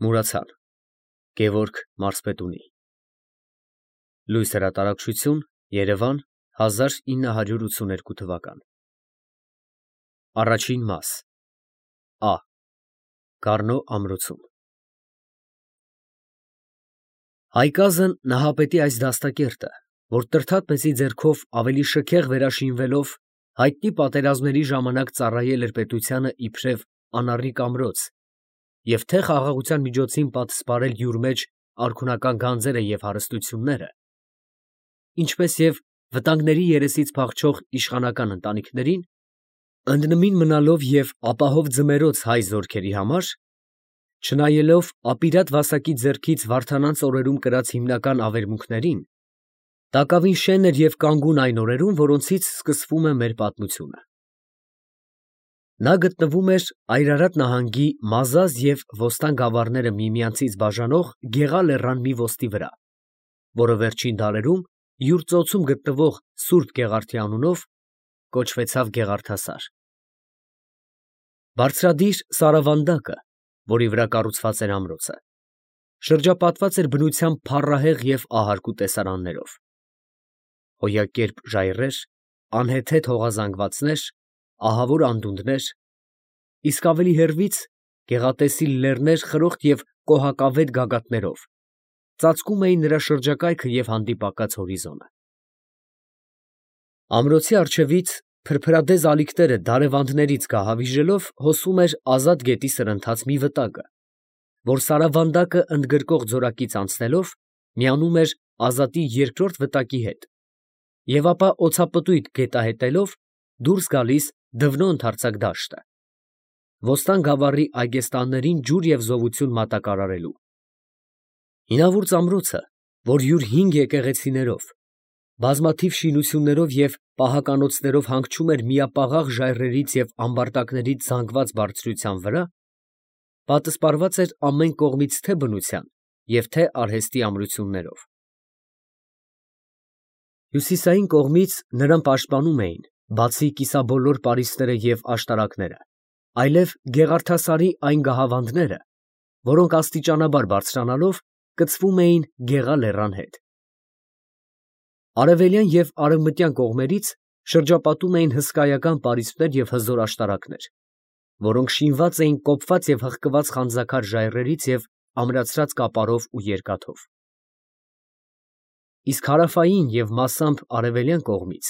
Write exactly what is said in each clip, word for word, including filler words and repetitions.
Մուրացան Գևորգ Մարզպետունի Լույս հրատարակչություն Երևան հազար ինը հարյուր ութսուներկու թվական Առաջին մաս Ա Գառնո ամրոցում Հայկազն Նահապետի այս դաստակերտը, որ Տրդատ մեծի ձեռքով ավելի շքեղ վերաշինվելով հայտնի պատերազմների ժամանակ ծառայել էր պետությանը իբրև անառիկ ամրոց և թե խաղաղության միջոցին պատսպարել յուր մեջ արքունական գանձերը և հարստությունները, ինչպես և վտանգների երեսից փախչող իշխանական ընտանիքներին, ընդնմին մնալով և ապահով ձմեռոց հայ զորքերի համար, չնայելով ապիրատ Վասակի ձեռքից Վարդանանց օրերում կրած հիմնական ավերմունքներին, տակավին շեն էր և կանգուն այն օրերում, որոնցից սկսվում է մեր պատմությունը։ Նա գտնվում էր Այրարատ նահանգի Մազազ և Ոստան գավառները միմյանցից բաժանող Գեղա լեռան մի ոստի վրա, որը վերջին դարերում յուր ծոցում գտնվող Սուրբ Գեղարդի անունով կոչվեցավ Գեղարդասար։ Բարձրադիր սարավանդակը, որի վրա կառուցված էր ամրոցը, շրջապատված էր բնությամբ փառահեղ և ահարկու տեսարաններով. հոյակերպ ժայռեր, անհեթեթ հողազանգվածներ, ահավոր անդունդներ, իսկ ավելի հեռվից գեղատեսիլ լեռներ խրոխտ և կոհակավետ գագաթներով ծածկում էին նրա շրջակայքը և հանդիպակաց հորիզոնը։ Ամրոցի առջևից փրփրադեզ ալիքները դարևանդներից գահավիժելով հոսում էր ազատ գետի սրընթաց մի վտակը, որ սարավանդակը ընդգրկող ձորակից անցնելով միանում էր ազատի երկրորդ վտակի հետ և ապա օդապտույտ գետահետելով դուրս գալիս Դվնո ընդարձակ դաշտը, Ոստան գավառի այգեստաններին ջուր և զովություն մատակարարելու։ Հինավուրց ամրոցը, որ յուր հինգ եկեղեցիներով, բազմաթիվ շինություններով և պահականոցներով հանգչում էր միապաղաղ ժայռերից և ամբարտակներից զանգված բարձրության վրա, պատսպարված էր ամեն կողմից թե բնության և թե արհեստի ամրություններով։ Հյուսիսային կողմից նրան պաշտպանում էին, բացի կիսաբոլոր պարիսպները և աշտարակները, այլև Գեղարդասարի այն գահավանդները, որոնք աստիճանաբար բարձրանալով կցվում էին Գեղա լեռան հետ։ Արևելյան և արևմտյան կողմերից շրջապատում էին հսկայական պարիսպներ և հզոր աշտարակներ, որոնք շինված էին կոփված և հղկված խանձաքար ժայռերից և ամրացրած կապարով ու երկաթով։ Իսկ հարավային և մասամբ արևելյան կողմից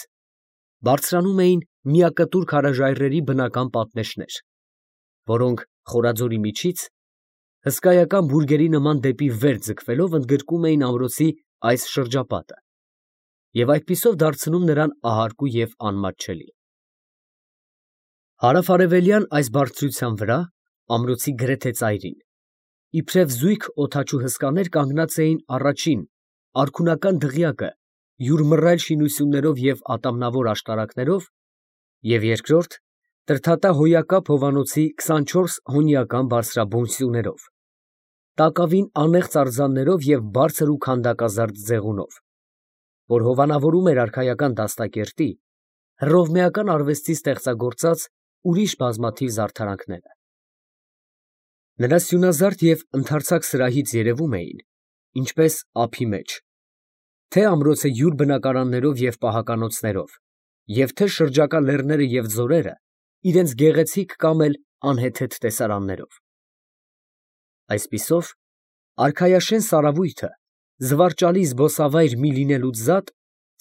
բարձրանում էին միակտուր քարաժայռերի բնական պատնեշներ, որոնք խորաձորի միջից հսկայական բուրգերի նման դեպի վեր ձգվելով ընդգրկում էին ամրոցի այս շրջապատը և այդպիսով դարձնում նրան ահարկու և անմատչելի։ Հարավ֊արևելյան այս բարձրության վրա, ամրոցի գրեթե ծայրին, իբրև զույգ օդաչու հսկաներ կանգնած էին առաջին, արքունական դղյակը յուր մռայլ շինություններով և ատամնավոր աշտարակներով և երկրորդ, տրդատա հոյակապ հովանոցի քսանչորս հոնիական բարձրաբուն սյուներով, տակավին անեղծ արձաններով և բարձր ու քանդակազարդ ձեղունով, որ հովանավորում էր արքայական դաստակերտի, հռովմեական արվեստի ստեղծագործած ուրիշ բազմաթիվ զարդարանքները։ Նրա սյունազարդ և ընդարձակ սրահից երևում էին, ինչպես ափի մեջ, թե ամրոցը յուր բնակարաններով և պահականոցներով, և թե շրջակա լեռները և ձորերը իրենց գեղեցիկ կամ էլ անհեթեթ տեսարաններով։ Այսպիսով, արքայաշեն սարավույթը, զվարճալի զբոսավայր մի լինելուց զատ,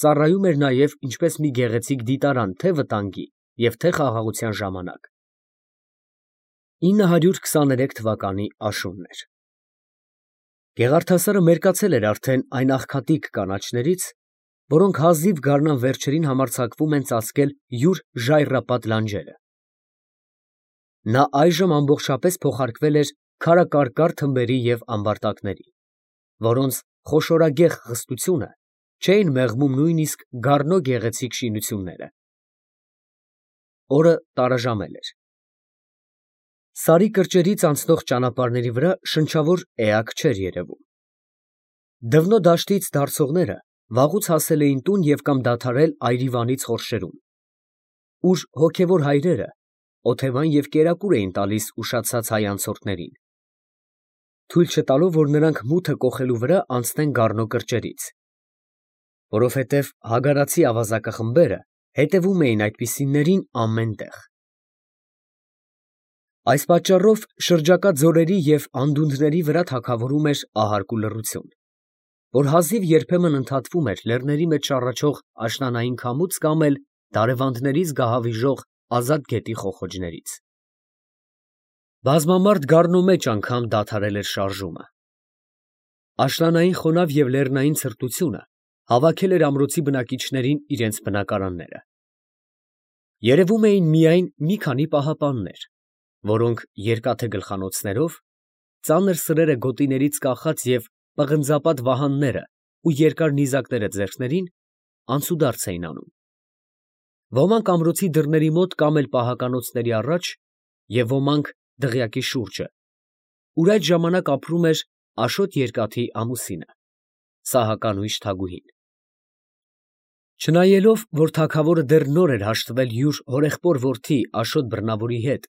ծառայում էր նաև ինչպես մի գեղեցիկ դիտարան թե վտանգի և թե խաղաղության ժամանակ։ ինը հարյուր քսաներեք թվականի աշունն էր։ Գեղարդասարը մերկացել էր արդեն այն աղքատիկ կանաչներից, որոնք հազիվ գարնան վերջերին համարձակվում են ծածկել յուր ժայռապատ լանջերը։ Նա այժմ ամբողջապես փոխարկվել էր քարակարկառ թմբերի և ամբարտակների, որոնց խոշորագեղ խստությունը չէին մեղմում նույնիսկ Գառնո գեղեցիկ շինությունները։ Օրը տարաժամել էր։ Սարի կրճերից անցնող ճանապարհների վրա շնչավոր էակ չէր երևում։ Դվնո դաշտից դարսողները վաղուց հասել էին տուն և կամ դադարել այրիվանից խորշերում, ուր հոգևոր հայրերը օթևան և կերակուր էին տալիս ուշացած հայ անցորդներին։ թույլ չտալով, որ նրանք մութը կոխելու վրա անցնեն գառնո կրճերից, որովհետև հագարացի ավազակախմբերը հետևում էին այդպիսիներին ամեն տեղ։ Այս պատճառով շրջակա ձորերի և անդունդների վրա թագավորում էր ահարկ ու լռություն, որ հազիվ երբեմն ընդհատվում էր լեռների մեջ շառաչող աշնանային քամուց կամ էլ դարևանդներից գահավիժող ազատ գետի խոխոջներից։ Բազմամարդ գառնո մեջ անգամ դադարել էր շարժումը։ Աշնանային խոնավ և լեռնային ցրտությունը հավաքել էր ամրոցի բնակիչներին իրենց բնակարանները։ Երևում էին միայն մի քանի պահապաններ, որոնք երկաթե գլխանոցներով, ծանր սրերը գոտիներից կախած և պղնձապատ վահանները ու երկար նիզակները ձեռքներին, անցուդարձ էին անում։ Ոմանք ամրոցի դռների մոտ կամ էլ պահականոցների առաջ և ոմանք դղյակի շուրջը, ուր այդ ժամանակ ապրում էր Աշոտ երկաթի ամուսինը, Սահականույշ Թագուհին։ Չնայելով, որ թագավորը դեռ նոր էր հաշտվել յուր հորեղբոր որդի Աշոտ Բռնավորի հետ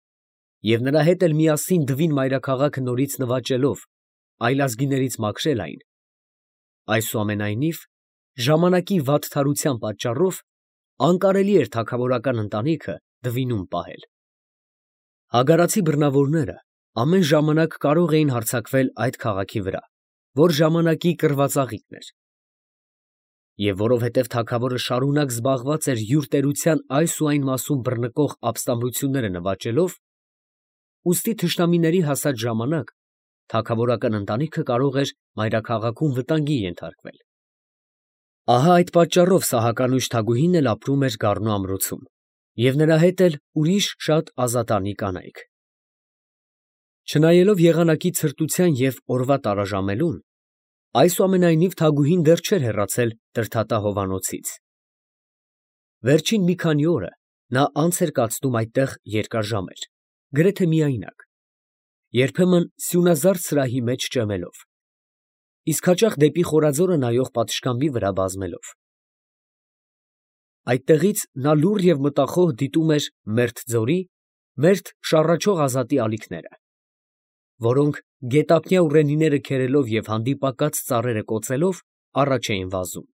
և նրա հետ էլ միասին դվին մայրաքաղաքը նորից նվաճելով, այլազգիներից մաքրել այն, այսուամենայնիվ, ժամանակի վատթարության պատճառով անկարելի էր թագավորական ընտանիքը դվինում պահել։ Հագարացի բռնավորները ամեն ժամանակ կարող էին հարձակվել այդ քաղաքի վրա, որ ժամանակի կռվածաղիկն էր։ Եվ որովհետև թագավորը շարունակ զբաղված էր յուր տերության այս ու այն մասում բռնկող ապստամբությունները նվաճելով, ուստի թշնամիների հասած ժամանակ թագավորական ընտանիքը կարող էր մայրաքաղաքում վտանգի ենթարկվել։ Ահա այդ պատճառով Սահականույշ Թագուհին էլ ապրում էր գառնո ամրոցում և նրա հետ էլ ուրիշ շատ ազատանի կանայք։ Չնայելով եղանակի ցրտության և օրվա տարաժամելուն, այսուամենայնիվ Թագուհին դեռ չէր հեռացել Տրդատա հովանոցից։ Վերջին մի քանի օրը նա անց էր կացնում այդտեղ երկար ժամեր, գրեթե միայնակ, երբեմն սյունազարդ սրահի մեջ ճեմելով, իսկ հաճախ դեպի խորաձորը նայող պատշգամբի վրա բազմելով։ Այդտեղից նա լուռ և մտախոհ դիտում էր մերթ ձորի, մերթ շառաչող ազատի ալիքները, որոնք գետափնյա ուռենիները քերելով և հանդիպակաց ծառերը կոծելով առաջ էին վազում,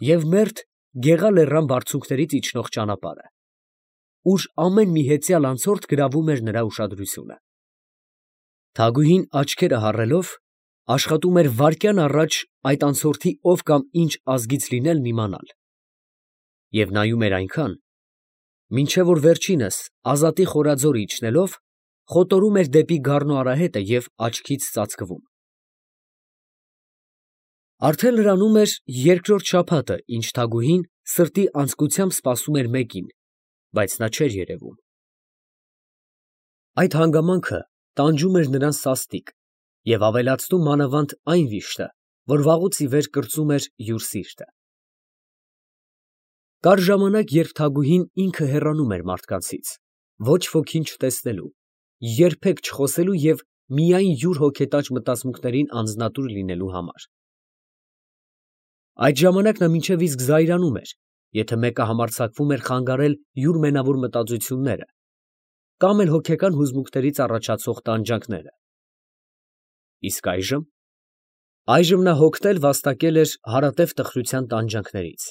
և մերթ Գեղա լեռան բարձունքներից իջնող ճանապարհը, ուր ամեն մի հեծյալ անցորդ գրավում էր նրա ուշադրությունը։ Թագուհին աչքերը հառելով աշխատում էր վայրկյան առաջ այդ անցորդի ով կամ ինչ ազգից լինելն իմանալ, և նայում էր այնքան, մինչև որ վերջինս ազատի խորաձորը իջնելով, խոտորում էր դեպի գառնո արահետը և աչքից ծածկվում։ Արդեն լրանում էր երկրորդ շաբաթը, ինչ Թագուհին սրտի անձկությամբ սպասում էր մեկին, բայց նա չէր երևում։ Այդ հանգամանքը տանջում էր նրան սաստիկ և ավելացնում մանավանդ այն վիշտը, որ վաղուց ի վեր կրծում էր յուր սիրտը։ Կար ժամանակ, երբ Թագուհին ինքը հեռանում էր մարդկանցից, ոչ ոքին չտեսնելու, երբեք չխոսելու և միայն յուր հոգետաճ մտածմունքներին անձնատուր լինելու համար։ Այդ ժամանակ նա մինչև իսկ զայրանում էր, եթե մեկը համարձակվում էր խանգարել յուր մենավոր մտածությունները կամ էլ հոգեկան հուզմունքներից առաջացող տանջանքները։ Իսկ այժմ… այժմ նա հոգնել վաստակել էր հարատև տխրության տանջանքներից։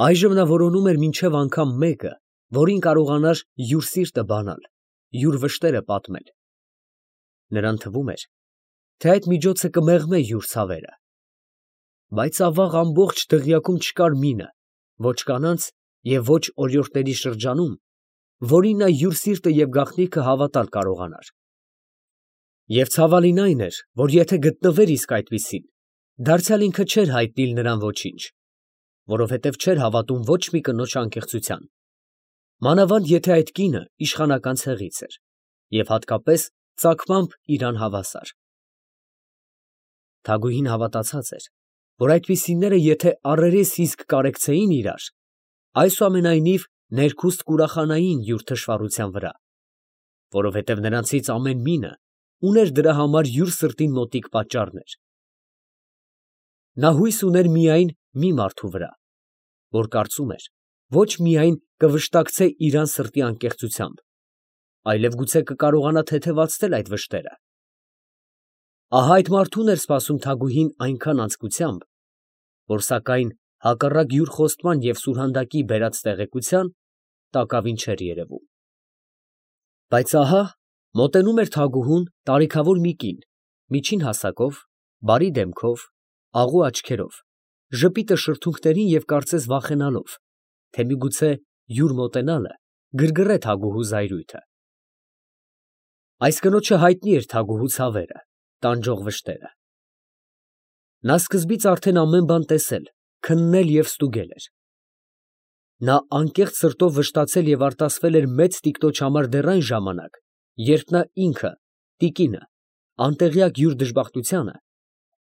Այժմ նա որոնում էր մինչև անգամ մեկը, որին կարողանար յուր սիրտը բանալ, յուր վշտերը պատմել։ Նրան թվում էր, թե այդ միջոցը կմեղմե յուր ցավերը։ Բայց ավաղ ամբողջ դղյակում չկար մինը, ոչ կանանց և ոչ օրիորդների շրջանում, որին նա յուր սիրտը և գաղտնիքը հավատալ կարողանար։ Եվ ցավալին այն էր, որ եթե գտնվեր իսկ այդպիսին, դարձյալ ինքը չէր հայտնիլ նրան ոչինչ, որովհետև չէր հավատում ոչ մի կնոջ անկեղծության, մանավանդ եթե այդ կինը իշխանական ցեղից էր և հատկապես ծագմամբ իրան հավասար։ Թագուհին հավատացած էր, որ այդպիսիները եթե առերես իսկ կարեկցեին իրար, այսուամենայնիվ ներքուստ կուրախանային յուր թշվառության վրա, որովհետև նրանցից ամեն մինը ուներ դրա համար յուր սրտին մոտիկ պատճառներ։ Նա հույս ուներ միայն մի մարդու վրա, որ կարծում էր, ոչ միայն կվշտակցե իրան սրտի անկեղծությամբ, այլև գուցե կկարողանա թեթևացնել այդ վշտերը, Ահա այդ մարդուն էր սպասում Թագուհին այնքան անձկությամբ, որ սակայն հակառակ յուր խոստման և սուրհանդակի բերած տեղեկության, տակավին չէր երևում։ Բայց ահա մոտենում էր Թագուհուն տարիքավոր մի կին, միջին հասակով, բարի դեմքով, աղու աչքերով, ժպիտը շրթունքներին և կարծես վախենալով, թե միգուցե յուր մոտենալը գրգռե Թագուհու զայրույթը։ Այս կնոջը հայտնի էր Թագուհու ցավերը, տանջող վշտերը։ Նա սկզբից արդեն ամեն բան տեսել, քննել և ստուգել էր։ Նա անկեղծ սրտով վշտացել և արտասվել էր մեծ տիկնոջ համար դեռ այն ժամանակ, երբ նա ինքը, տիկինը, անտեղյակ յուր դժբախտությանը,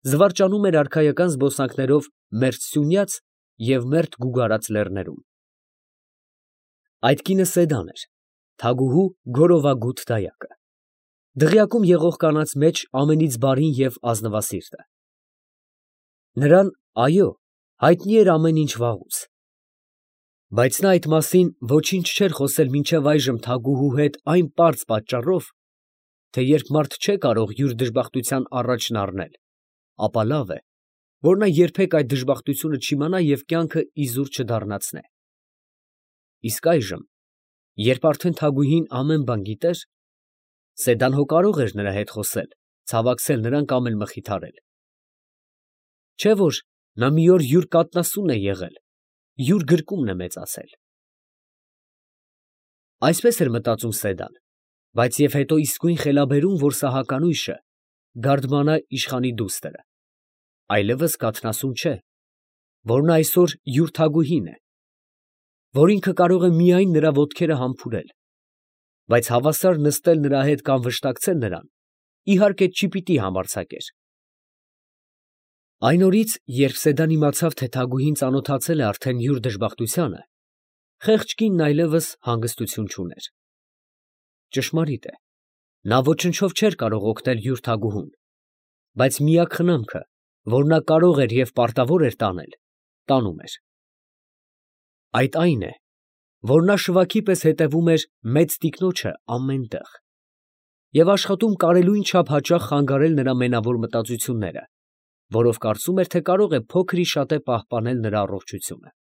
զվարճանում էր արքայական զբոսանքներով մերթ Սյունյաց և մերթ Գուգարած լեռներում։ Այդ կինը Սեդան էր, Թագուհու գորովագութ դայակը, դղյակում եղող կանանց մեջ ամենից բարին և ազնվասիրտը։ Նրան, այո, հայտնի էր ամեն ինչ վաղուց, բայց նա այդ մասին ոչինչ չէր խոսել մինչև այժմ Թագուհու հետ այն պարզ պատճառով, թե երբ մարդ չէ կարող յուր դժբախտության առաջն առնել, ապա լավ է, որ նա երբեք այդ դժբախտությունը չիմանա և կյանքը իզուր չդառնացնե։ Իսկ այժմ, երբ արդեն Թագուհին ամեն բան գիտեր, Սեդան հո կարող էր նրա հետ խոսել, ցավակցել նրան կամ էլ մխիթարել։ Չէ՞ որ նա մի օր յուր կաթնասունն է եղել, յուր գրկումն է մեծացել։ Այսպես էր մտածում Սեդան, բայց և հետո իսկույն խելաբերում, որ սահականույշը գարդմանա իշխանի դուստրը, այլևս կաթնասուն չէ, որ նա այսօր յուր Թագուհին է, որ ինքը կարող է միայն նրա ոտքերը համբուրել, բայց հավասար նստել նրա հետ կամ վշտակցել նրան, իհարկե չպիտի համարձակեր։ Այն օրից, երբ Սեդան իմացավ, թե Թագուհին ծանոթացել է արդեն յուր դժբախտությանը, խեղճ կինն այլևս հանգստություն չուներ։ Ճշմարիտ է, նա ոչնչով չէր կարող օգնել յուր Թագուհուն, բայց միակ խնամքը, որ նա կարող էր և պարտավոր էր տանել, տանում էր։ Այդ այն է, որ նա շվաքի պես հետևում էր մեծ տիկնոջը ամեն տեղ և աշխատում կարելույն չափ հաճախ խանգարել նրա մենավոր մտածությունները, որով կարծում էր, թե կարող է փոքր ի շատե պահպանել նրա առողջությունը։